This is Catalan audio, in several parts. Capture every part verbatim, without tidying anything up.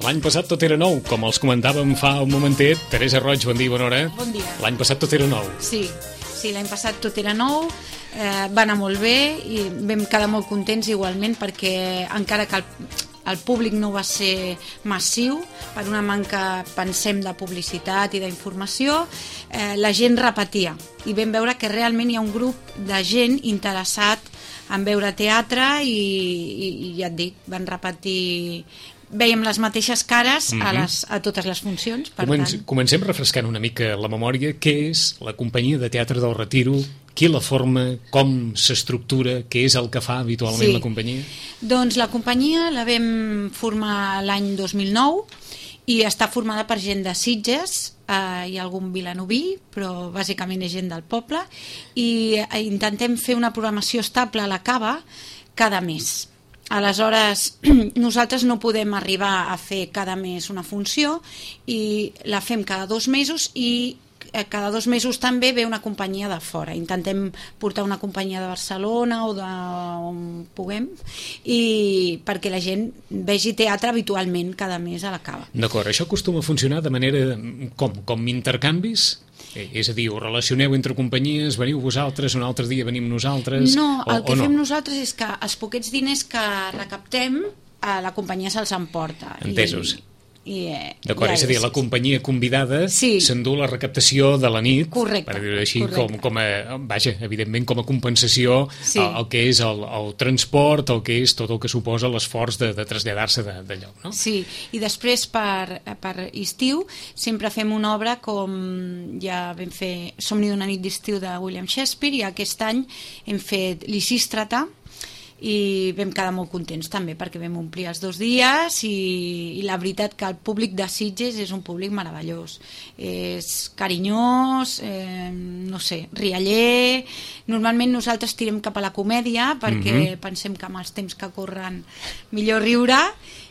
L'any passat tot era nou, com els comentàvem fa un momentet. Teresa Roig, bon dia, bona hora. Bon dia. L'any passat tot era nou. Sí, sí, l'any passat tot era nou, eh, va anar molt bé i vam quedar molt contents igualment perquè encara que el, el públic no va ser massiu, per una manca, pensem, de publicitat i d'informació, eh, la gent repetia i vam veure que realment hi ha un grup de gent interessat en veure teatre i, i, i ja et dic, van repetir... Veiem les mateixes cares a, les, a totes les funcions. Per Comenc tant... Comencem refrescant una mica la memòria. Què és la companyia de teatre del Retiro? Qui la forma? Com s'estructura? Què és el que fa habitualment sí. la companyia? Doncs la companyia la vam formar l'any dos mil nou i està formada per gent de Sitges, eh, hi ha algun vilanoví, però bàsicament és gent del poble, i eh, intentem fer una programació estable a la Cava cada mes. Aleshores, nosaltres no podem arribar a fer cada mes una funció i la fem cada dos mesos i cada dos mesos també ve una companyia de fora. Intentem portar una companyia de Barcelona o d'on puguem i perquè la gent vegi teatre habitualment cada mes a la Cava. D'acord, això acostuma a funcionar de manera com? Com intercanvis? És a dir, ho relacioneu entre companyies, veniu vosaltres, un altre dia venim nosaltres... No, el o, que o fem no? nosaltres és que els poquets diners que recaptem a la companyia se'ls emporta. Entesos. I, i, eh, D'acord, és a dir, la companyia convidada sí. s'endú la recaptació de la nit, correcte, per dir-ho així, com, correcte. com a, vaja, evidentment com a compensació sí. el, el que és el, el transport, el que és tot el que suposa l'esforç de, de traslladar-se de, de lloc, no? Sí, i després per, per estiu sempre fem una obra com ja vam fer Somni d'una nit d'estiu de William Shakespeare i aquest any hem fet Lisístrata i vam quedar molt contents també perquè vam omplir els dos dies i, i la veritat que el públic de Sitges és un públic meravellós, és carinyós, eh, no sé, rialler. Normalment nosaltres tirem cap a la comèdia perquè mm-hmm. pensem que amb els temps que corren millor riure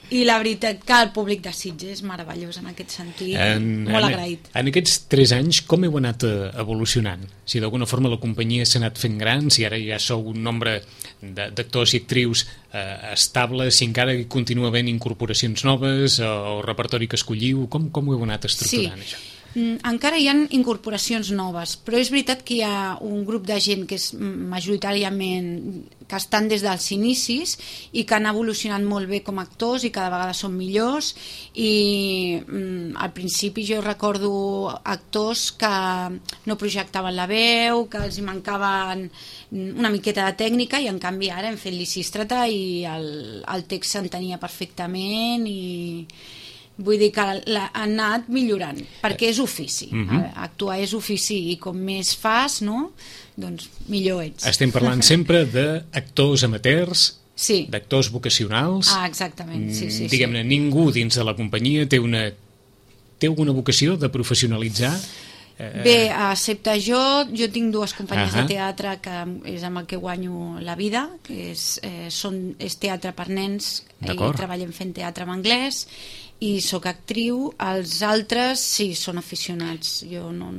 i la veritat que el públic de Sitges és meravellós en aquest sentit, en, molt en, agraït. En aquests tres anys com heu anat evolucionant? Si d'alguna forma la companyia s'ha anat fent gran, si ara ja sou un nombre d'actors i actrius eh, estable, si encara hi continua havent incorporacions noves o, o repertori que escolliu, com, com ho heu anat estructurant sí. això? Encara hi ha incorporacions noves, però és veritat que hi ha un grup de gent que és majoritàriament que estan des dels inicis i que han evolucionat molt bé com a actors i cada vegada són millors i mm, al principi jo recordo actors que no projectaven la veu, que els hi mancaven una miqueta de tècnica i en canvi ara hem fet Lisístrata i el, el text s'entenia perfectament i vull dir que ha anat millorant, perquè és ofici. Uh-huh. Actuar és ofici i com més fas, no? Doncs millor ets. Estem parlant sempre d'actors amateurs, sí. d'actors vocacionals. Ah, exactament, sí, sí. Diguem-ne, sí. ningú dins de la companyia té una té alguna vocació de professionalitzar? Bé, excepte jo, jo tinc dues companyies uh-huh. de teatre que és amb el que guanyo la vida, que és, eh, són, és teatre per nens i treballem fent teatre en anglès i sóc actriu. Els altres sí, són aficionats. Jo no,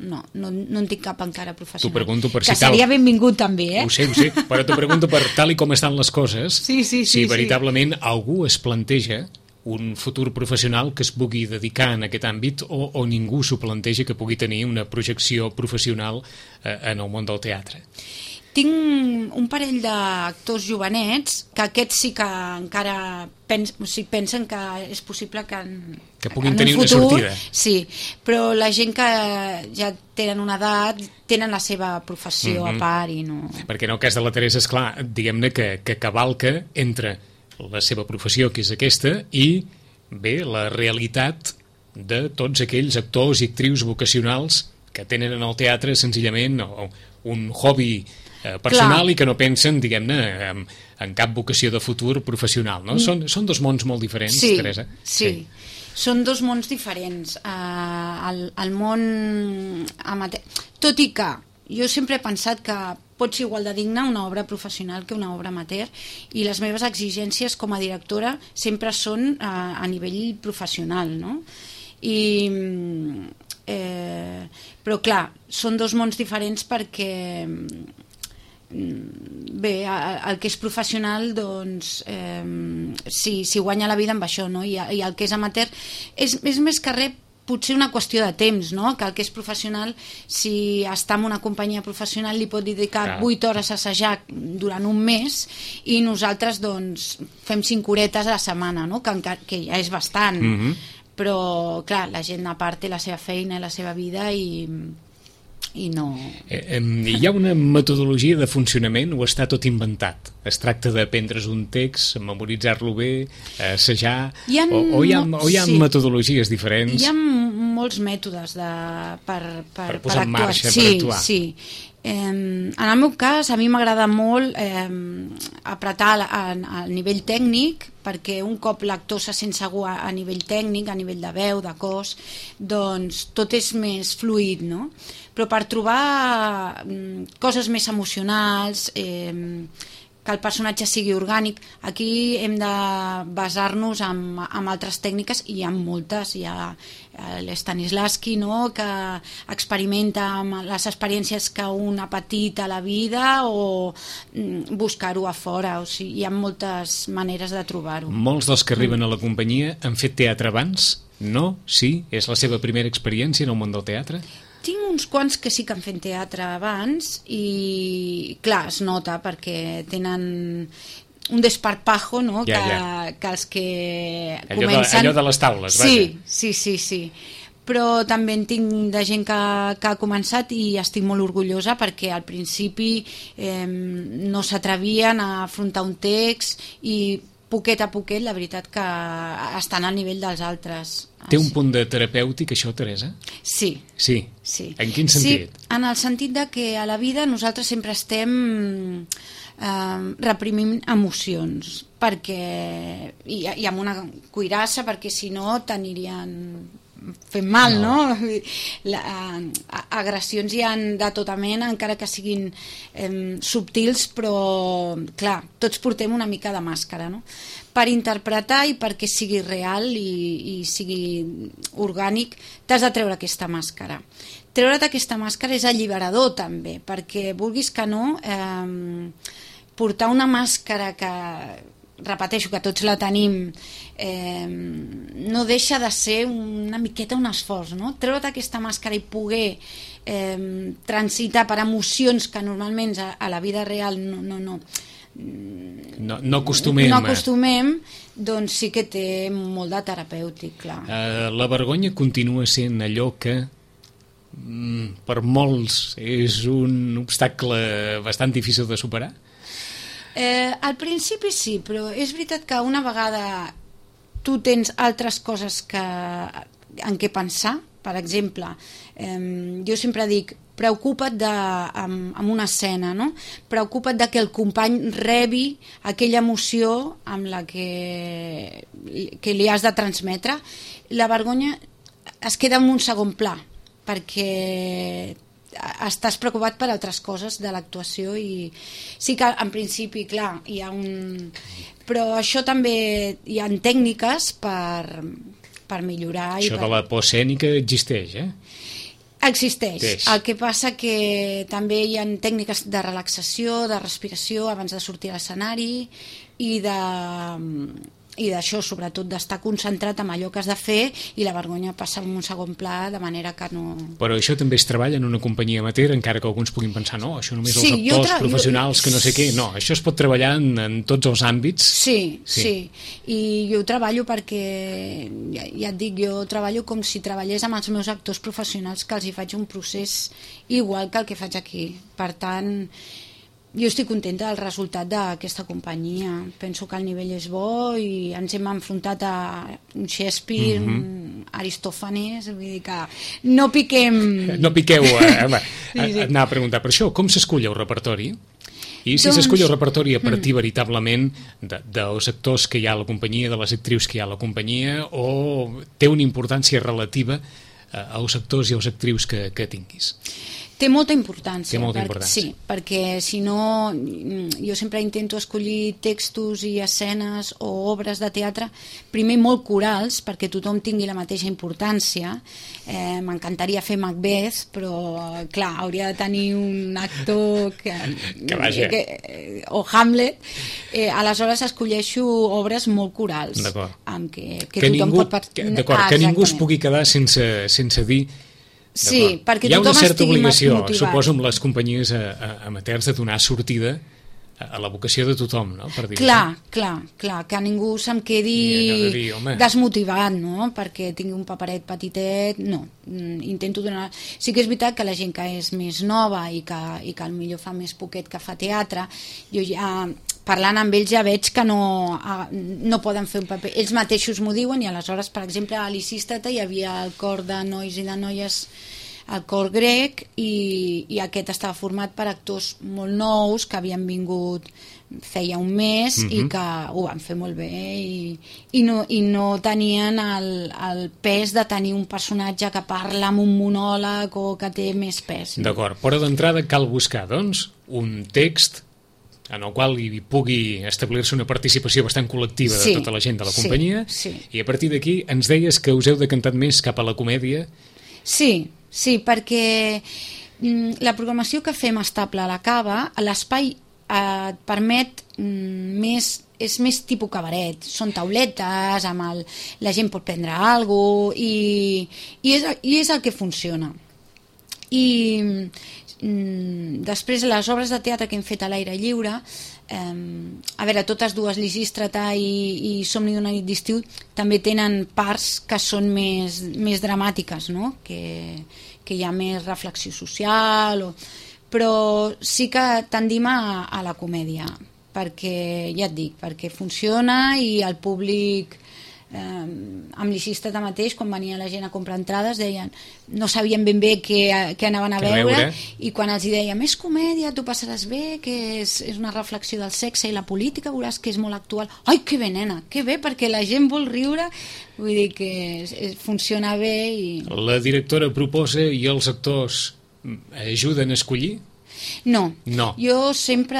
no, no, no en tinc cap encara professional. T'ho pregunto per si que tal... seria benvingut també, eh? Ho sé, ho sé, però t'ho pregunto per tal i com estan les coses, sí, sí, sí, si veritablement sí. algú es planteja un futur professional que es pugui dedicar en aquest àmbit o, o ningú s'ho planteja que pugui tenir una projecció professional eh, en el món del teatre. Tinc un parell d'actors jovenets que aquests sí que encara pens, o sigui, pensen que és possible que en, que puguin en tenir un futur, una sortida. Sí, però la gent que ja tenen una edat tenen la seva professió mm-hmm. a part i no... Perquè en el cas de la Teresa, esclar, diguem-ne que, que cavalca entre la seva professió, que és aquesta, i bé, la realitat de tots aquells actors i actrius vocacionals que tenen en el teatre senzillament un hobby eh, personal. Clar. I que no pensen, diguem-ne, en, en cap vocació de futur professional, no? Mm. Són, són dos mons molt diferents, sí, Teresa. Sí, sí. Són dos mons diferents. Uh, el, el món amateur... Tot i que jo sempre he pensat que pot ser igual de digne una obra professional que una obra amateur, i les meves exigències com a directora sempre són uh, a nivell professional, no? I... Eh, però clar, són dos mons diferents perquè bé, el que és professional doncs eh, si, si guanya la vida amb això, no? I, i el que és amateur és, és més que res potser una qüestió de temps, no? Que el que és professional, si està en una companyia professional, li pot dedicar vuit hores a assajar durant un mes, i nosaltres doncs fem cinc horetes a la setmana, no? Que, que ja és bastant. Mm-hmm. Però clar, la gent a part té la seva feina i la seva vida i, i no... Eh, eh, hi ha una metodologia de funcionament o està tot inventat? Es tracta d'aprendre's un text, memoritzar-lo bé, assajar, ha, o, o hi ha, o hi ha sí. metodologies diferents? Hi ha molts mètodes de, per, per, per posar per en marxa, sí, per actuar. Sí, eh, en el meu cas a mi m'agrada molt eh, apretar al nivell tècnic, perquè un cop l'actor se sent segur a, a nivell tècnic, a nivell de veu, de cos, doncs tot és més fluid, no? Però per trobar mm, coses més emocionals, eh, que el personatge sigui orgànic, aquí hem de basar-nos en, en altres tècniques, i hi ha moltes. Hi ha l'Stanislavski, no?, que experimenta amb les experiències que un ha patit a la vida, o buscar-ho a fora. O sigui, hi ha moltes maneres de trobar-ho. Molts dels que arriben a la companyia han fet teatre abans? No? Sí? És la seva primera experiència en el món del teatre? Tinc uns quants que sí que han fet teatre abans, i clar, es nota perquè tenen un desparpajo, no? Ja, que, ja. que els que allò comencen... De, allò de les taules, sí, vaja. Sí, sí, sí. Però també en tinc de gent que, que ha començat, i estic molt orgullosa perquè al principi eh, no s'atrevien a afrontar un text, i poquet a poquet la veritat que estan al nivell dels altres. Té un punt de terapèutic això, Teresa? Sí. Sí? Sí. En quin sentit? Sí, en el sentit de que a la vida nosaltres sempre estem eh, reprimint emocions, perquè i, i amb una cuirassa, perquè si no t'anirien fent mal, no? no? La, a, agressions hi ha de tota mena, encara que siguin eh, subtils, però clar, tots portem una mica de màscara, no? Per interpretar i perquè sigui real i, i sigui orgànic, t'has de treure aquesta màscara. Treure't aquesta màscara és alliberador també, perquè vulguis que no, eh, portar una màscara que, repeteixo, que tots la tenim, eh, no deixa de ser una miqueta un esforç, no? Treure't aquesta màscara i poder eh, transitar per emocions que normalment a, a la vida real no, no, no, no, no acostumem, no acostumem, doncs sí que té molt de terapèutic, clar. Uh, la vergonya continua sent allò que mm, per molts és un obstacle bastant difícil de superar? Eh, al principi sí, però és veritat que una vegada tu tens altres coses que, en què pensar, per exemple, eh, jo sempre dic, preocupa't de, amb, amb una escena, no? Preocupa't de que el company rebi aquella emoció amb la que, que li has de transmetre. La vergonya es queda en un segon pla, perquè estàs preocupat per altres coses de l'actuació, i sí que en principi, clar, hi ha un... Però això també hi ha tècniques per, per millorar. Això i per... de la por escènica existeix, eh? Existeix. Teix. El que passa que també hi ha tècniques de relaxació, de respiració abans de sortir a l'escenari, i de... i d'això, sobretot d'estar concentrat en allò que has de fer, i la vergonya passa en un segon pla, de manera que no... Però això també es treballa en una companyia amateur, encara que alguns puguin pensar, no, això només sí, els actors tra... professionals jo... que no sé què, no, això es pot treballar en, en tots els àmbits. Sí, sí, sí, i jo ho treballo perquè, ja, ja et dic, jo treballo com si treballés amb els meus actors professionals, que els hi faig un procés igual que el que faig aquí. Per tant, jo estic contenta del resultat d'aquesta companyia. Penso que el nivell és bo i ens hem enfrontat a un Shakespeare, mm-hmm. un Aristòfanes, vull dir que no piquem... No piqueu, eh? Home, sí, sí. Anar a preguntar per això. Com s'escull el repertori? I si doncs... s'escull el repertori a partir mm. veritablement de, dels actors que hi ha a la companyia, de les actrius que hi ha a la companyia, o té una importància relativa eh, als actors i als actrius que, que tinguis? Té molta importància. Té molta per, importància. Sí, perquè si no, jo sempre intento escollir textos i escenes o obres de teatre, primer molt corals, perquè tothom tingui la mateixa importància. Eh, M'encantaria fer Macbeth, però clar, hauria de tenir un actor que, que vaja. Que, o Hamlet. Eh, aleshores escolleixo obres molt corals. D'acord. Amb que, que, que tothom ningú, pot... D'acord, ah, que ningú es pugui quedar sense, sense dir... Sí, perquè hi ha tothom una certa obligació, motivat. Suposo, amb les companyies a, a, amateurs de donar sortida a, a la vocació de tothom, no? Per dir clar, clar, clar, que ningú se'm quedi de dir, desmotivat, no? Perquè tingui un paperet petitet, no. Intento donar... Sí que és veritat que la gent que és més nova i que, i que potser fa més poquet que fa teatre, jo ja... parlant amb ells ja veig que no, no poden fer un paper, ells mateixos m'ho diuen i aleshores, per exemple, a Lisístrata hi havia el cor de nois i de noies, el cor grec, i, i aquest estava format per actors molt nous que havien vingut feia un mes mm-hmm. i que ho van fer molt bé i, i, no, i no tenien el, el pes de tenir un personatge que parla amb un monòleg o que té més pes. No? D'acord, però d'entrada cal buscar, doncs, un text en el qual hi pugui establir-se una participació bastant col·lectiva sí, de tota la gent de la companyia, sí, sí. I a partir d'aquí ens deies que us heu decantat més cap a la comèdia. Sí, sí, perquè mm, la programació que fem estable a la Cava, l'espai eh, et permet mm, més, és més tipus cabaret, són tauletes, amb el, la gent pot prendre alguna cosa i, i, és, i és el que funciona. I després les obres de teatre que hem fet a l'aire lliure, eh, a veure, totes dues, Lisístrata i, i Somni d'una nit d'estiu, també tenen parts que són més, més dramàtiques, no? que, que hi ha més reflexió social, o... però sí que tendim a, a la comèdia, perquè, ja et dic, perquè funciona i el públic... Eh, amb Lisístrata mateix, quan venia la gent a comprar entrades, deien, no sabien ben bé què, què anaven a veure, veure, i quan els dèiem, és comèdia, tu passaràs bé, que és, és una reflexió del sexe i la política, veuràs que és molt actual. Ai, que bé, nena, que bé, perquè la gent vol riure, vull dir que és, és, funciona bé. I... La directora proposa i els actors ajuden a escollir? No. no, jo sempre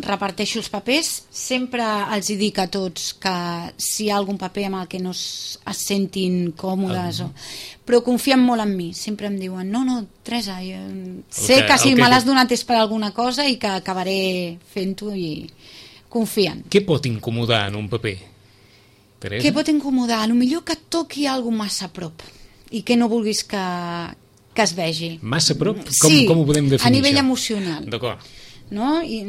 reparteixo els papers, sempre els hi dic a tots que si hi ha algun paper amb el que no es, es sentin còmodes, um. o... però confien molt en mi, sempre em diuen no, no, Teresa, jo sé que, que si que... me l'has donat és per alguna cosa i que acabaré fent-ho i confien. Què pot incomodar en un paper, Teresa? Què pot incomodar? A lo millor que et toqui alguna massa a prop i que no vulguis que que es vegi. Massa prop? Com, sí, com ho podem definir, a nivell això? Emocional. D'acord. No? I,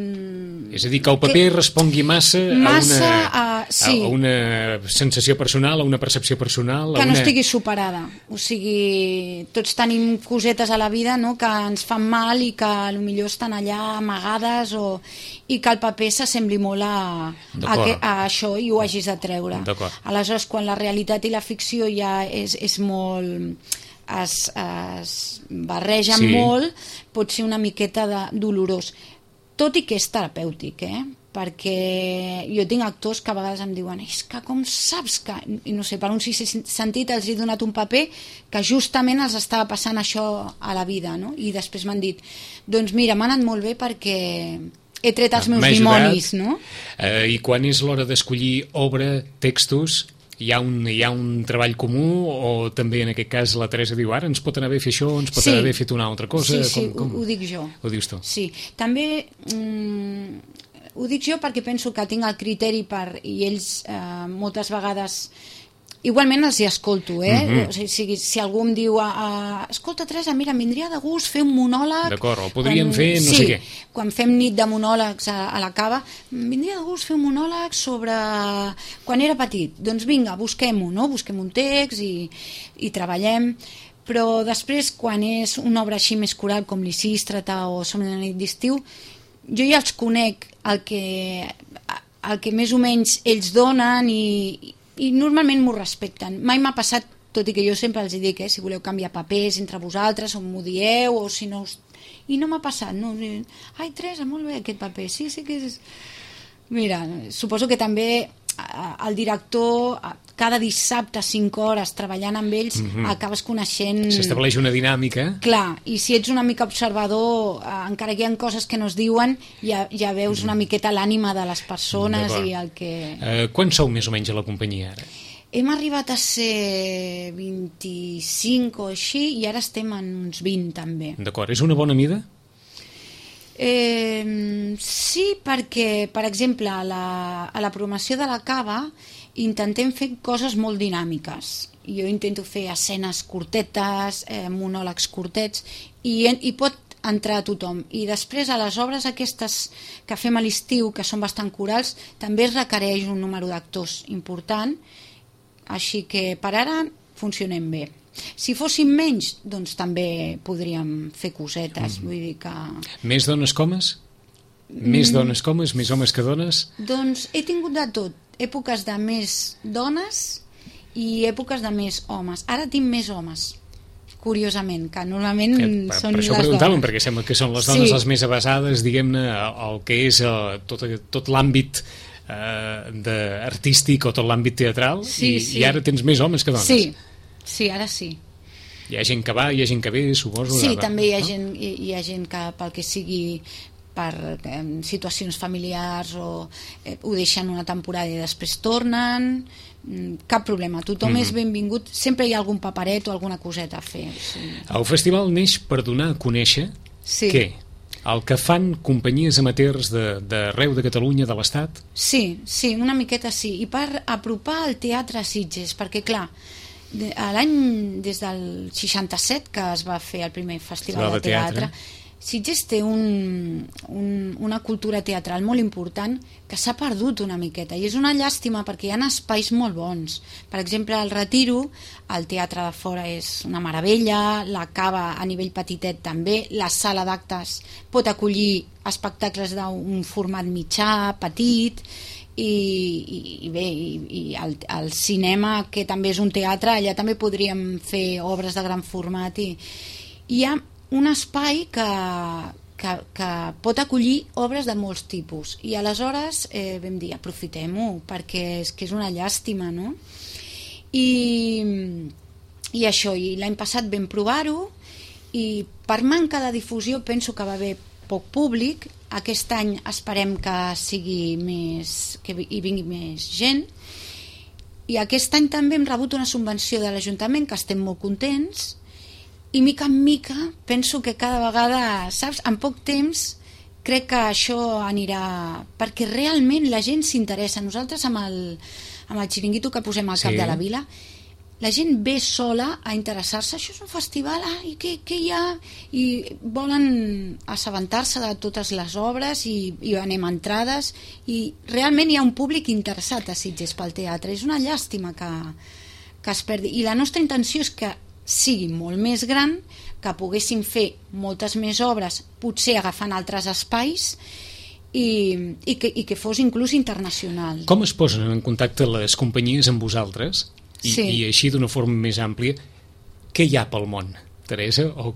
és a dir, que el paper que respongui massa, massa a, una, a, sí. a una sensació personal, a una percepció personal... Que a no una... estigui superada. O sigui, tots tenim cosetes a la vida, no?, que ens fan mal i que potser estan allà amagades, o, i que el paper s'assembli molt a, a, que, a això i ho hagis de treure. Aleshores, quan la realitat i la ficció ja és, és molt... Es, es barregen sí. molt, pot ser una miqueta de, dolorós, tot i que és terapèutic, eh? Perquè jo tinc actors que a vegades em diuen és que com saps que, i no sé, per un sisè sentit els he donat un paper que justament els estava passant això a la vida, no? I després m'han dit, doncs mira, m'ha anat molt bé perquè he tret els meus dimonis, no? Eh, I quan és l'hora d'escollir obra, textos, hi ha, un, hi ha un treball comú o també en aquest cas la Teresa diu ara ens pot anar bé fer això, ens pot sí. anar bé fer una altra cosa? Sí, sí, com, com... Ho, ho dic jo. Ho dius tu? Sí, també mm, ho dic jo perquè penso que tinc el criteri per, i ells eh, moltes vegades igualment els hi escolto, eh? Mm-hmm. O sigui, si algú em diu a, a, escolta Teresa, mira, em vindria de gust fer un monòleg, d'acord, o podríem quan, fer no sí, sé què, quan fem nit de monòlegs a, a la Cava, em vindria de gust fer un monòleg sobre quan era petit, doncs vinga, busquem-ho, no? Busquem un text i, i treballem, però després quan és una obra així més coral com Lisístrata o Somni d'una nit d'estiu, jo ja els conec el que, el que més o menys ells donen i, i normalment m'ho respecten. Mai m'ha passat, tot i que jo sempre els dic, eh, si voleu canviar papers entre vosaltres o m'ho dieu o si no us... I no m'ha passat, no? Ai, Teresa, molt bé aquest paper, sí, sí que és... Mira, suposo que també el director, cada dissabte cinc hores treballant amb ells, mm-hmm. acabes coneixent... S'estableix una dinàmica. Clar, i si ets una mica observador, encara que hi ha coses que no es diuen, ja, ja veus mm. una miqueta l'ànima de les persones i el que... Uh, quants sou més o menys a la companyia ara? Hem arribat a ser vint-i-cinc o així i ara estem en uns vint també. D'acord, és una bona mida? Eh, sí, perquè, per exemple, a la, a la programació de la cava intentem fer coses molt dinàmiques. Jo intento fer escenes curtetes, eh, monòlegs curtets, i, i pot entrar a tothom. I després, a les obres aquestes que fem a l'estiu, que són bastant corals, també es requereix un número d'actors important, així que per ara funcionem bé. Si fóssim menys, doncs també podríem fer cosetes, mm. vull dir que... Més dones comes? Més mm. dones comes? Més homes que dones? Doncs he tingut de tot. Èpoques de més dones i èpoques de més homes. Ara tinc més homes, curiosament, que normalment que, per, són per les dones. Per això perquè sembla que són les dones sí. les més avasades, diguem-ne, el que és el, tot, tot l'àmbit uh, de, artístic o tot l'àmbit teatral, sí, i, sí. i ara tens més homes que dones. Sí. Sí, ara sí. Hi ha gent que va, hi ha gent que ve, suposo. Sí, de... també hi ha, no? gent, hi, hi ha gent que pel que sigui per eh, situacions familiars o eh, ho deixen una temporada i després tornen, cap problema, tothom mm-hmm. és benvingut, sempre hi ha algun paperet o alguna coseta a fer. Sí. El festival neix per donar a conèixer sí. què? El que fan companyies amateurs d'arreu de, de Catalunya, de l'Estat? Sí, sí, una miqueta sí, i per apropar el teatre a Sitges, perquè clar, l'any des del seixanta-set que es va fer el primer festival de, de teatre, teatre Sitges té un, un, una cultura teatral molt important que s'ha perdut una miqueta i és una llàstima perquè hi ha espais molt bons. Per exemple, al Retiro el teatre de fora és una meravella, la cava a nivell petitet també, la sala d'actes pot acollir espectacles d'un format mitjà, petit, i, i, i bé, i, i el, el cinema, que també és un teatre, allà també podríem fer obres de gran format i hi ha un espai que, que, que pot acollir obres de molts tipus i aleshores eh, vam dir aprofitem-ho perquè és que és una llàstima, no? I, i això, i l'any passat vam provar-ho i per manca de difusió penso que va haver poc públic. Aquest any esperem que sigui més, que hi vingui més gent i aquest any també hem rebut una subvenció de l'Ajuntament que estem molt contents i mica en mica penso que cada vegada, saps, en poc temps crec que això anirà perquè realment la gent s'interessa. Nosaltres amb el, amb el xiringuito que posem al cap sí. de la vila, la gent ve sola a interessar-se, això és un festival, ah, i què, què hi ha? I volen assabentar-se de totes les obres i, i anem a entrades i realment hi ha un públic interessat a Sitges pel teatre. És una llàstima que, que es perdi. I la nostra intenció és que sigui molt més gran, que poguéssim fer moltes més obres, potser agafant altres espais i, i, que, i que fos inclús internacional. Com es posen en contacte les companyies amb vosaltres? I, sí. i així d'una forma més àmplia, què hi ha pel món, Teresa? O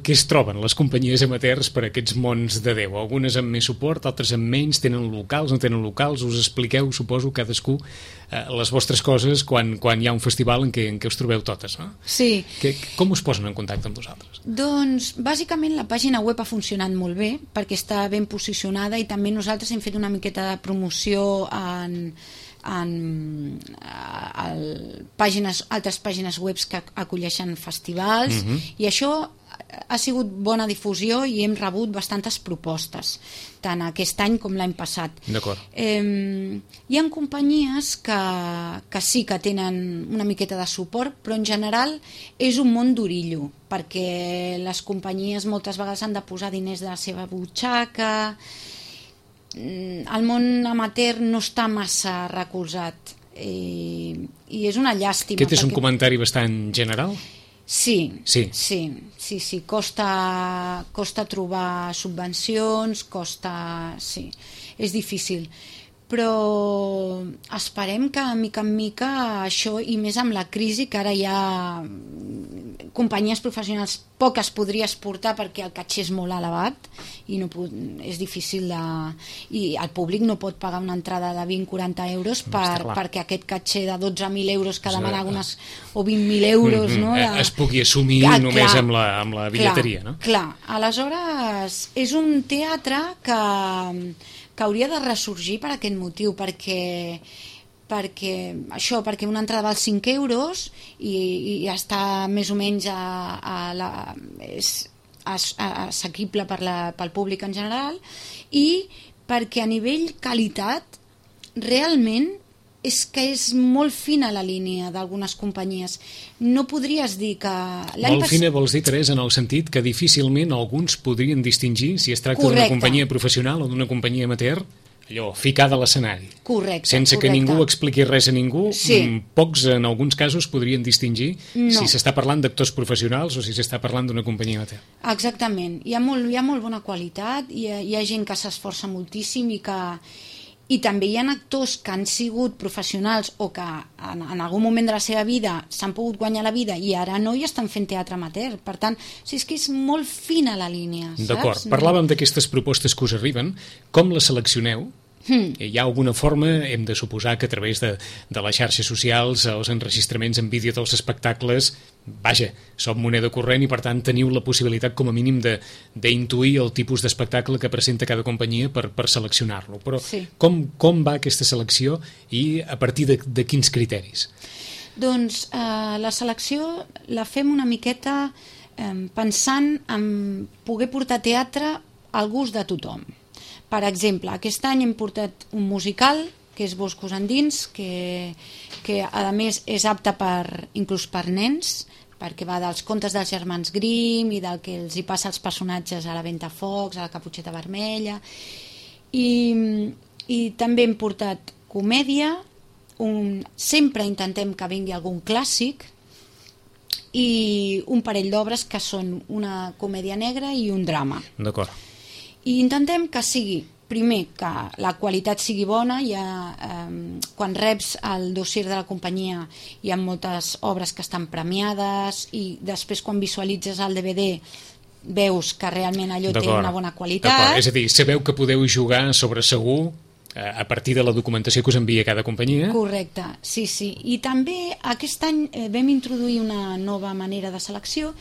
què es troben les companyies amateurs per aquests mons de Déu? Algunes amb més suport, altres amb menys, tenen locals, no tenen locals, us expliqueu, suposo, cadascú eh, les vostres coses quan, quan hi ha un festival en què, en què us trobeu totes, no? Sí. Que, com us posen en contacte amb vosaltres? Doncs, bàsicament, la pàgina web ha funcionat molt bé perquè està ben posicionada i també nosaltres hem fet una miqueta de promoció en... en el, pàgines, altres pàgines web que acolleixen festivals uh-huh. i això ha sigut bona difusió i hem rebut bastantes propostes tant aquest any com l'any passat. D'acord. Eh, hi ha companyies que, que sí que tenen una miqueta de suport, però en general és un món d'orillo perquè les companyies moltes vegades han de posar diners de la seva butxaca. El món amateur no està massa recolzat i, i és una llàstima. Aquest és perquè... un comentari bastant general? Sí, sí, sí, sí, sí. Costa, costa trobar subvencions, costa... Sí, és difícil. Però esperem que mica en mica això, i més amb la crisi, que ara hi ha companyies professionals poques podria exportar perquè el caché és molt elevat i no pot, és difícil de... i el públic no pot pagar una entrada de vint a quaranta euros per, perquè aquest caché de dotze mil euros que demana algunes, o vint mil euros, mm-hmm, no? De... es pugui assumir ah, només clar, amb, la, amb la bitlleteria, clar, no? Clar, aleshores és un teatre que que hauria de ressorgir per aquest motiu, perquè perquè això, perquè una entrada val cinc euros i, i està més o menys a, a la, és assequible per la, pel públic en general, i perquè a nivell qualitat realment és que és molt fina la línia d'algunes companyies. No podries dir que... Molt pas... fina vols dir, Teresa, en el sentit que difícilment alguns podrien distingir si es tracta d'una companyia professional o d'una companyia amateur, allò, ficada a l'escenari. Correcte. Sense correcte. que ningú expliqui res a ningú, sí. Pocs en alguns casos podrien distingir no. si s'està parlant d'actors professionals o si s'està parlant d'una companyia amateur. Exactament. Hi ha molt, hi ha molt bona qualitat, hi ha, hi ha gent que s'esforça moltíssim i que... I també hi ha actors que han sigut professionals o que en, en algun moment de la seva vida s'han pogut guanyar la vida i ara no i estan fent teatre amateur. Per tant, o sigui, és que és molt fina la línia, saps? D'acord. Parlàvem d'aquestes propostes que us arriben. Com les seleccioneu? Hmm. Hi ha alguna forma, hem de suposar que a través de, de les xarxes socials, els enregistraments en vídeo dels espectacles, vaja, som moneda corrent i per tant teniu la possibilitat com a mínim d'intuir el tipus d'espectacle que presenta cada companyia per, per seleccionar-lo. Però sí. com, com va aquesta selecció i a partir de, de quins criteris? Doncs eh, la selecció la fem una miqueta eh, pensant en poder portar teatre al gust de tothom. Per exemple, aquest any hem portat un musical, que és Boscos Endins, que, que a més és apte per, inclús per nens, perquè va dels contes dels germans Grimm i del que els hi passa als personatges a la Ventafocs, a la Caputxeta Vermella. I, i també hem portat comèdia, un, sempre intentem que vingui algun clàssic, i un parell d'obres que són una comèdia negra i un drama. D'acord. I intentem que sigui, primer, que la qualitat sigui bona. Hi ha, eh, quan reps el dossier de la companyia hi ha moltes obres que estan premiades i després quan visualitzes el D V D veus que realment allò té una bona qualitat. És a dir, sabeu que podeu jugar sobre segur a partir de la documentació que us envia cada companyia. Correcte, sí, sí. I també aquest any eh, vam introduir una nova manera de selecció,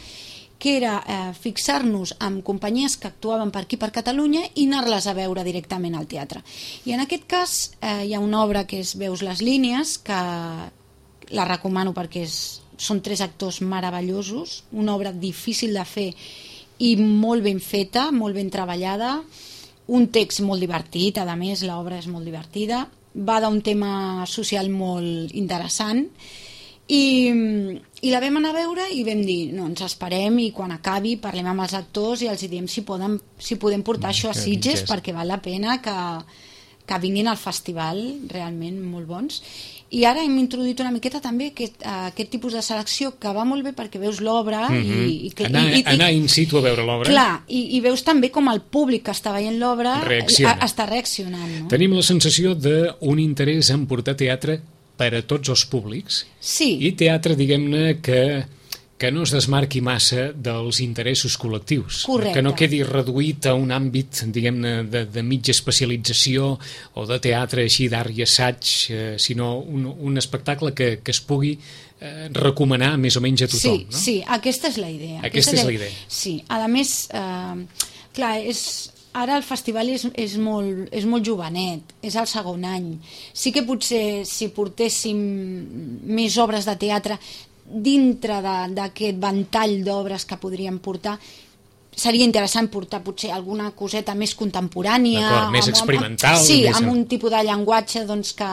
que era eh, fixar-nos amb companyies que actuaven per aquí per Catalunya i anar-les a veure directament al teatre. I en aquest cas eh, hi ha una obra que és Veus les línies, que la recomano perquè és, són tres actors meravellosos, una obra difícil de fer i molt ben feta, molt ben treballada, un text molt divertit, a més l'obra és molt divertida, va d'un tema social molt interessant. I, i la vam anar a veure i vam dir, no, ens esperem i quan acabi parlem amb els actors i els diem si, poden, si podem portar això a Sitges perquè val la pena que, que vinguin al festival, realment molt bons. I ara hem introduït una miqueta també aquest, aquest tipus de selecció que va molt bé perquè veus l'obra mm-hmm. i, i, anar, i, i, anar in situ a veure l'obra. Clar, i, i veus també com el públic que està veient l'obra reacciona. està reaccionant. No? Tenim la sensació d'un interès en portar teatre per a tots els públics, sí. I teatre, diguem-ne, que, que no es desmarqui massa dels interessos col·lectius. Correcte. Que no quedi reduït a un àmbit, diguem-ne, de, de mitja especialització o de teatre així d'art i assaig, eh, sinó un, un espectacle que, que es pugui eh, recomanar més o menys a tothom. Sí, no? sí, aquesta és la idea. Aquesta, aquesta és la idea. Sí, a més, eh, clar, és... Ara el festival és, és, molt, és molt jovenet, és el segon any. Sí que potser si portéssim més obres de teatre dintre d'aquest ventall d'obres que podríem portar, seria interessant portar potser alguna coseta més contemporània. Més amb, experimental. Amb, sí, més... amb un tipus de llenguatge doncs, que...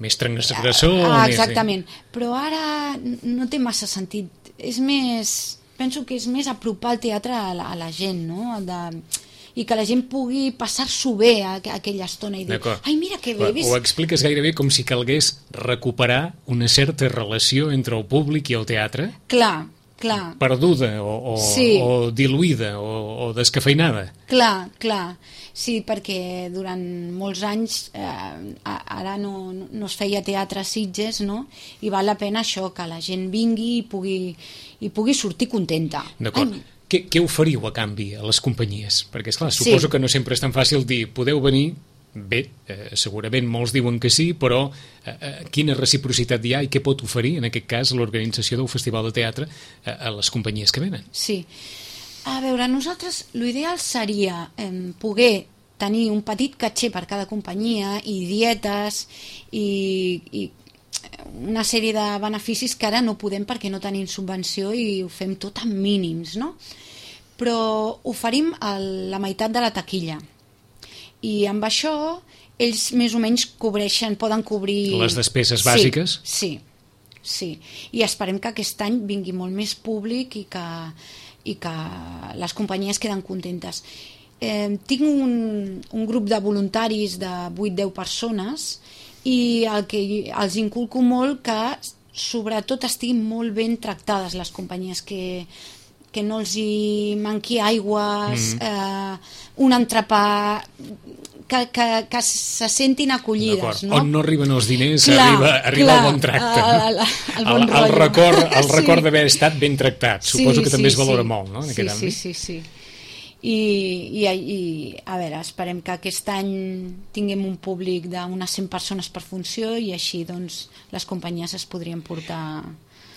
Més transgressor. Ah, exactament. Més, sí. Però ara no té massa sentit. És més... Penso que és més apropar el teatre a la, a la gent, no? De... i que la gent pugui passar-s'ho bé a, a aquella estona i dir, ai, mira que bé. Ho expliques gairebé com si calgués recuperar una certa relació entre el públic i el teatre. Clar, clar. perduda o, o, Sí. o diluïda o, o descafeinada. Clar, clar. Sí, perquè durant molts anys eh, ara no, no es feia teatre a Sitges, no? I val la pena això, que la gent vingui i pugui, i pugui sortir contenta. D'acord. Ai, Què, què oferiu a canvi a les companyies? Perquè, esclar, suposo Sí. que no sempre és tan fàcil dir podeu venir, bé, eh, segurament molts diuen que sí, però eh, eh, quina reciprocitat hi ha i què pot oferir, en aquest cas, l'organització del Festival de Teatre eh, a les companyies que venen? Sí. A veure, nosaltres l'ideal seria eh, poder tenir un petit caché per cada companyia i dietes i, i una sèrie de beneficis que ara no podem perquè no tenim subvenció i ho fem tot amb mínims, no? Però oferim el, la meitat de la taquilla i amb això ells més o menys cobreixen, poden cobrir... Les despeses bàsiques? Sí, sí, sí. I esperem que aquest any vingui molt més públic i que, i que les companyies queden contentes. Eh, tinc un, un grup de voluntaris de vuit a deu persones i el que els inculco molt que sobretot estiguin molt ben tractades les companyies, que, que no els hi manqui aigües, mm. eh, un entrepà, que, que, que se sentin acollides, no? On no arriben els diners, clar, arriba, arriba clar, el bon tracte. El, el, el, bon el, el record, el sí. record d'haver estat ben tractat. Suposo sí, que també sí, es valora sí. molt, no?, en sí, aquest sí, àmbit. sí, sí. I, i, i a veure, esperem que aquest any tinguem un públic d'unes cent persones per funció i així doncs les companyies es podrien portar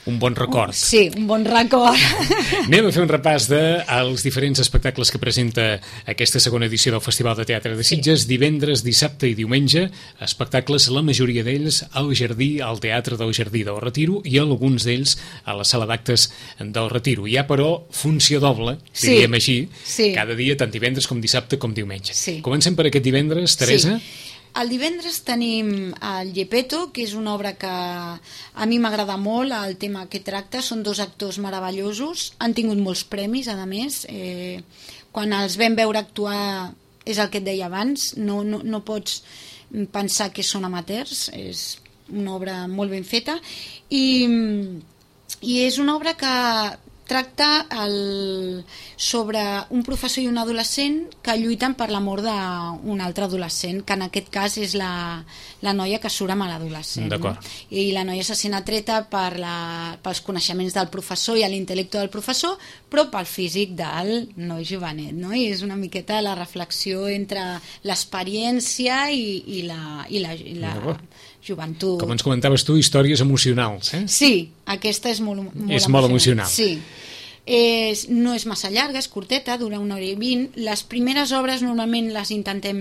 un bon record. Sí, un bon record. Anem a fer un repàs dels diferents espectacles que presenta aquesta segona edició del Festival de Teatre de Sitges, sí. Divendres, dissabte i diumenge, espectacles, la majoria d'ells al Jardí, al Teatre del Jardí del Retiro i alguns d'ells a la Sala d'Actes del Retiro. Hi ha, però, funció doble, sí. diríem així, sí. cada dia, tant divendres com dissabte com diumenge. Sí. Comencem per aquest divendres, Teresa. Sí. El divendres tenim el Gepetto, que és una obra que a mi m'agrada molt, el tema que tracta, són dos actors meravellosos, han tingut molts premis, a més, eh, quan els vam veure actuar, és el que et deia abans, no, no, no pots pensar que són amateurs, és una obra molt ben feta, i, i és una obra que tracta el, sobre un professor i un adolescent que lluiten per l'amor d'un altre adolescent, que en aquest cas és la, la noia que surt amb l'adolescent. No? I la noia se sent atreta per la, pels coneixements del professor i l'intel·lecte del professor, però pel físic del noi jovenet. No? I és una miqueta la reflexió entre l'experiència i, i la, i la, i la joventut. Com ens comentaves tu, històries emocionals, eh? Sí, aquesta és molt, molt és molt emocional. Sí. És, no és massa llarga, és curteta, dura una hora i vint. Les primeres obres normalment les intentem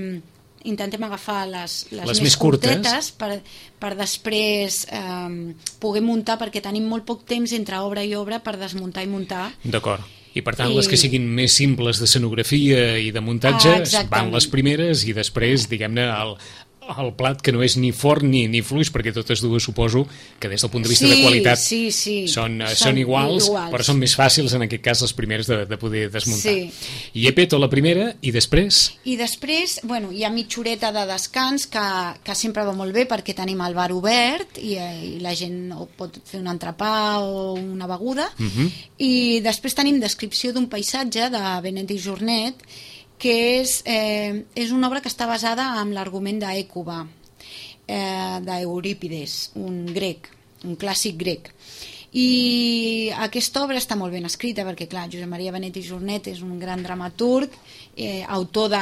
intentem agafar les, les, les més, més curtetes per, per després eh, poder muntar, perquè tenim molt poc temps entre obra i obra per desmuntar i muntar. D'acord. I per tant I... les que siguin més simples d'escenografia i de muntatge ah, van les primeres i després, diguem-ne, el, el plat que no és ni fort ni, ni fluix, perquè totes dues suposo que des del punt de vista sí, de qualitat sí, sí. Són, són, són iguals, iguals, però són més fàcils en aquest cas les primeres de, de poder desmuntar. Sí. I Gepetto la primera i després? I després, bueno, hi ha mitja horeta de descans que, que sempre va molt bé perquè tenim el bar obert i, i la gent pot fer un entrepà o una beguda uh-huh. i després tenim descripció d'un paisatge de Benet i Jornet que és, eh, és una obra que està basada en l'argument d'Ècuba, eh, d'Eurípides, un grec, un clàssic grec. I aquesta obra està molt ben escrita perquè, clar, Josep Maria Benet i Jornet és un gran dramaturg, eh, autor de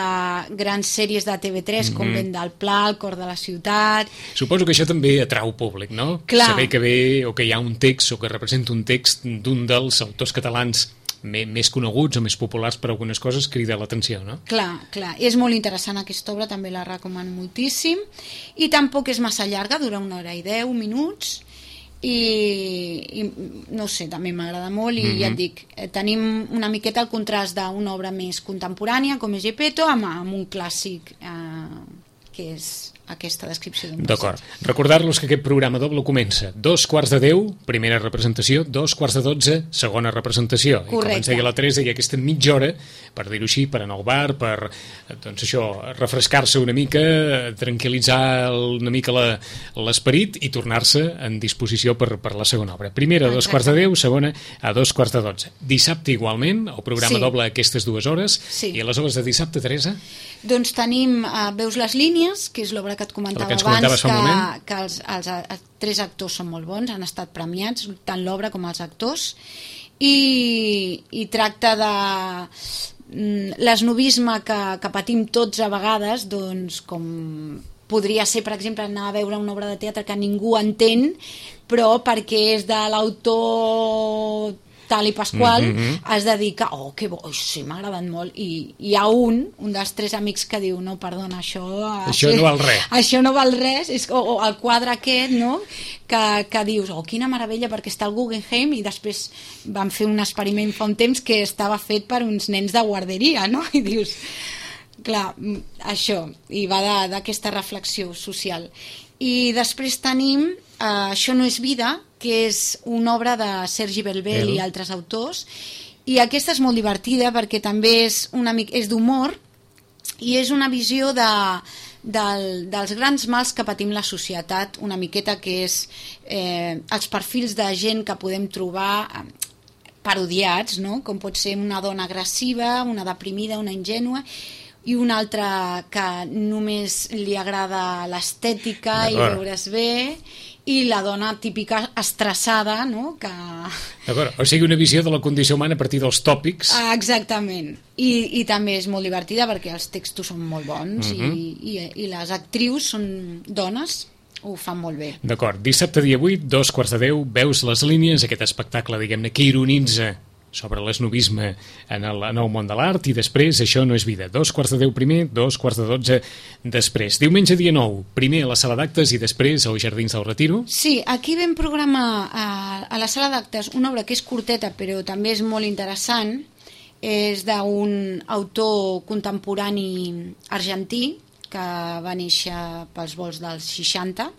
grans sèries de T V tres, mm-hmm. com Vent del Pla, El cor de la ciutat... Suposo que això també atrau públic, no? Clar. Saber que ve o que hi ha un text o que representa un text d'un dels autors catalans més coneguts o més populars per algunes coses crida l'atenció, no? Clar, clar. És molt interessant aquesta obra, també la recomano moltíssim. I tampoc és massa llarga, dura una hora i deu minuts i, i no sé, també m'agrada molt i mm-hmm. ja et dic, eh, tenim una miqueta el contrast d'una obra més contemporània com és Gepetto amb, amb un clàssic eh, que és aquesta descripció d'un passeig. D'acord. Recordar-los que aquest programa doble comença dos quarts de deu, primera representació, dos quarts de dotze, segona representació. Correcte. I com ens deia la Teresa, hi ha aquesta mitja hora, per dir-ho així, per anar al bar, per, doncs això, refrescar-se una mica, tranquil·litzar una mica la, l'esperit i tornar-se en disposició per, per la segona obra. Primera a dos quarts de deu, segona a dos quarts de dotze. Dissabte igualment, el programa Sí. doble aquestes dues hores. Sí. I a les obres de dissabte, Teresa? Doncs tenim uh, Veus les línies, que és l'obra que et comentava que ens abans, comentaves fa un que, moment. que els, els, els tres actors són molt bons, han estat premiats, tant l'obra com els actors, i, i tracta de mm, l'esnovisme que, que patim tots a vegades, doncs com podria ser, per exemple, anar a veure una obra de teatre que ningú entén, però perquè és de l'autor tal i Pasqual, mm -hmm. has de dir que, oh, que bo, sí, m'ha agradat molt, i hi ha un, un dels tres amics que diu, no, perdona, això... Això no val res. Això no val res, és, o, o el quadre aquest, no?, que, que dius, oh, quina meravella, perquè està al Guggenheim, i després van fer un experiment fa un temps que estava fet per uns nens de guarderia, no?, i dius, clar, això, i va d'aquesta reflexió social. I després tenim uh, Això no és vida, que és una obra de Sergi Belbel El. i altres autors, i aquesta és molt divertida perquè també és, una mica, és d'humor i és una visió de, del, dels grans mals que patim la societat, una miqueta, que és eh, els perfils de gent que podem trobar eh, parodiats, no? Com pot ser una dona agressiva, una deprimida, una ingènua, i una altra que només li agrada l'estètica i veure's bé, i la dona típica estressada, no?, que... D'acord, o sigui, una visió de la condició humana a partir dels tòpics. Ah, exactament, I, i també és molt divertida perquè els textos són molt bons, uh-huh. i, i, i les actrius són dones, ho fan molt bé. D'acord, dissabte dia vuit, dos quarts de deu, Veus les línies, aquest espectacle, diguem-ne, que ironitza sobre l'esnovisme en el, en el món de l'art, i després Això no és vida. Dos quarts de deu primer, dos quarts de dotze després. Diumenge dia nou, primer a la sala d'actes i després als Jardins del Retiro. Sí, aquí vam programar a, a la sala d'actes una obra que és curteta però també és molt interessant, és d'un autor contemporani argentí que va néixer pels volts dels seixanta.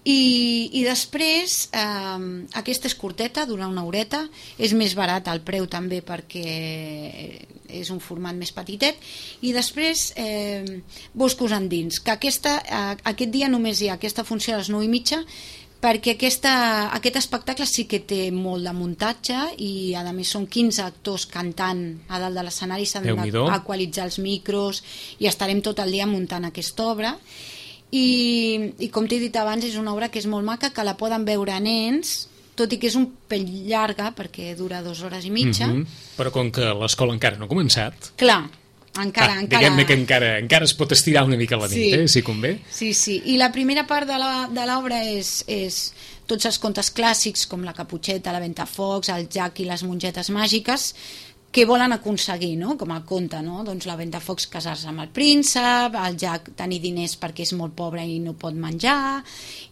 I, i després eh, aquesta és curteta, dura una horeta, és més barat el preu també perquè és un format més petitet, i després eh, Boscos endins, que aquesta, eh, aquest dia només hi ha aquesta funció a les nou i mitja, perquè aquesta, aquest espectacle sí que té molt de muntatge i a més són quinze actors cantant a dalt de l'escenari, s'han d'equalitzar els micros i estarem tot el dia muntant aquesta obra. I, i com t'he dit abans, és una obra que és molt maca, que la poden veure nens, tot i que és un pell llarga perquè dura dues hores i mitja. Mm-hmm. Però com que l'escola encara no ha començat, clar, encara, ah, encara... diguem-ne que encara, encara es pot estirar una mica la nit, sí. eh, si convé. Sí, sí, i la primera part de l'obra és, és tots els contes clàssics com la Caputxeta, la Ventafocs, el Jack i les mongetes màgiques, què volen aconseguir, no?, com el conte, no? Doncs la Ventafocs casar-se amb el príncep, el Jack tenir diners perquè és molt pobre i no pot menjar,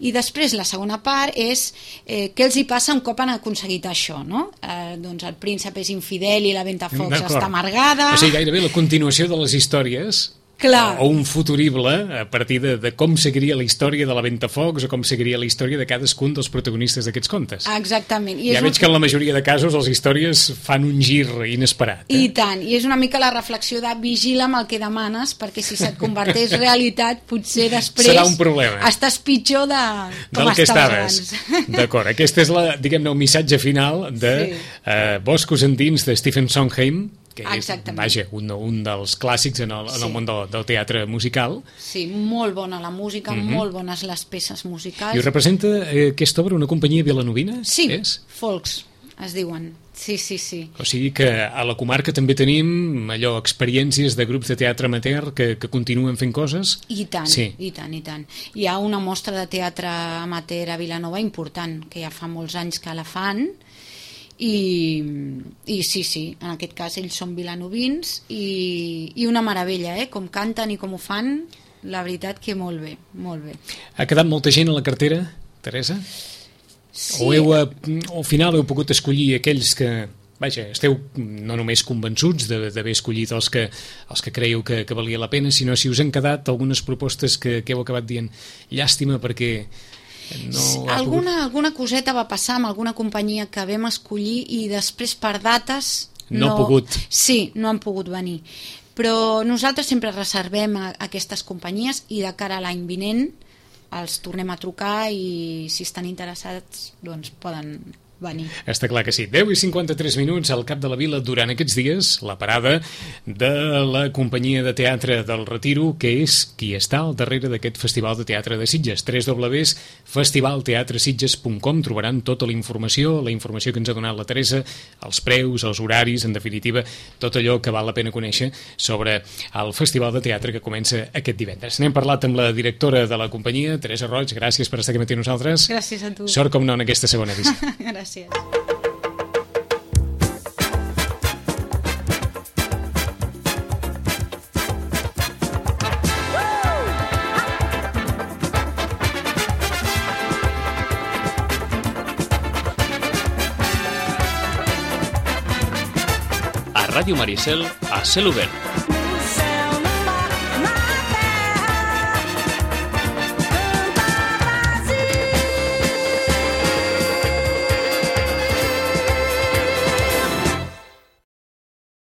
i després la segona part és eh, què els hi passa un cop han aconseguit això, no? Eh, doncs el príncep és infidel i la Ventafocs està amargada. O sigui, gairebé la continuació de les històries, clar. O un futurible a partir de, de com seguiria la història de la Ventafocs o com seguiria la història de cadascun dels protagonistes d'aquests contes. Exactament. I ja veig un... que en la majoria de casos les històries fan un gir inesperat. Eh? I tant, i és una mica la reflexió de vigila amb el que demanes, perquè si se't converteix realitat potser després serà un problema. Estàs pitjor de com del que estaves abans. D'acord, aquest és la, diguem-ne, el missatge final de sí. eh, Boscos endins de Stephen Sondheim, que és, vaja, un, un dels clàssics en el, en el sí. món del, del teatre musical. Sí, molt bona la música, mm-hmm. molt bones les peces musicals. I representa eh, aquesta obra una companyia vilanovina? Sí, és? Folks, es diuen. Sí, sí, sí. O sigui que a la comarca també tenim allò, experiències de grups de teatre amateur que, que continuen fent coses? I tant, sí. i tant, i tant. Hi ha una mostra de teatre amateur a Vilanova important, que ja fa molts anys que la fan, I, i sí, sí, en aquest cas ells són vilanovins i, i una meravella, eh? Com canten i com ho fan, la veritat que molt bé, molt bé. Ha quedat molta gent a la cartera, Teresa? Sí. O heu, al final heu pogut escollir aquells que, vaja, esteu no només convençuts d'haver escollit els que, els que creieu que, que valia la pena, sinó si us han quedat algunes propostes que, que heu acabat dient llàstima perquè no ha alguna, pogut... alguna coseta va passar amb alguna companyia que vam escollir i després per dates no, no ha pogut. Sí, no han pogut venir. Però nosaltres sempre reservem a, a aquestes companyies i de cara a l'any vinent els tornem a trucar i si estan interessats doncs poden venir. Està clar que sí. deu i cinquanta-tres minuts al Cap de la Vila durant aquests dies, la parada de la companyia de teatre del Retiro, que és qui està al darrere d'aquest Festival de Teatre de Sitges. w w w punt festival teatre sitges punt com trobaran tota la informació, la informació que ens ha donat la Teresa, els preus, els horaris, en definitiva, tot allò que val la pena conèixer sobre el Festival de Teatre que comença aquest divendres. N'hem parlat amb la directora de la companyia, Teresa Roig, gràcies per estar aquí amb nosaltres. Gràcies a tu. Sort com no en aquesta segona edició. Gràcies. A Ràdio Maricel, a cel obert.